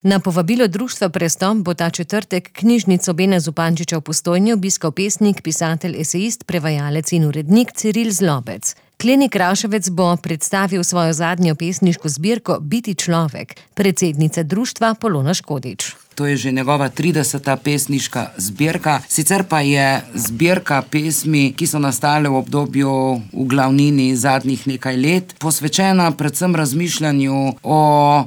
Na povabilo društva Prestop bo ta četrtek knjižnico Bena Zupančiča v Postojni obiskal pesnik, pisatelj, esejist, prevajalec in urednik Ciril Zlobec. Kleni Kraševec bo predstavil svojo zadnjo pesniško zbirko Biti človek, predsednica društva Polona Škodič. To je že njegova 30. pesniška zbirka, sicer pa je zbirka pesmi, ki so nastale v obdobju v glavnini zadnjih nekaj let, posvečena predvsem razmišljanju o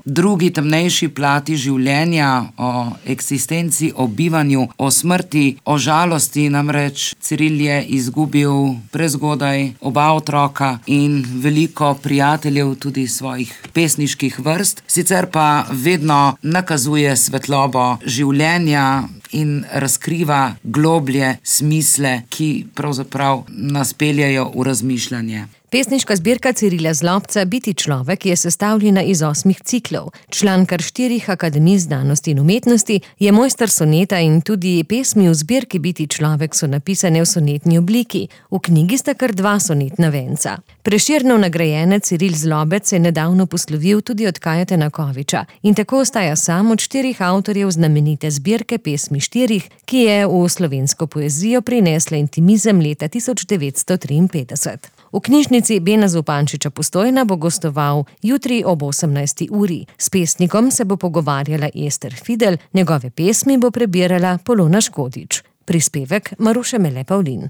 drugi, temnejši plati življenja, o eksistenci, o bivanju, o smrti, o žalosti. Namreč Ciril je izgubil prezgodaj oba otroka in veliko prijateljev, tudi svojih pesniških vrst, sicer pa vedno nakazuje svetlobo življenja in razkriva globlje smisle, ki pravzaprav nas peljejo v razmišljanje. Pesniška zbirka Cirila Zlobca Biti človek je sestavljena iz 8 ciklov. Član kar 4 akademij znanosti in umetnosti, je mojster soneta in tudi pesmi v zbirki Biti človek so napisane v sonetni obliki. V knjigi sta kar 2 sonetna venca. Prešernov nagrajenec Ciril Zlobec se je nedavno poslovil tudi od Kajeta Nakoviča in tako ostaja sam od 4 avtorjev znamenite zbirke pesmi 4, ki je v slovensko poezijo prinesla intimizem leta 1953. V knjižnici Bena Zupančiča Postojna bo gostoval jutri ob 18. uri. S pesnikom se bo pogovarjala Ester Fidel, njegove pesmi bo prebirala Polona Škodič. Prispevek Maruše Mele Pavlin.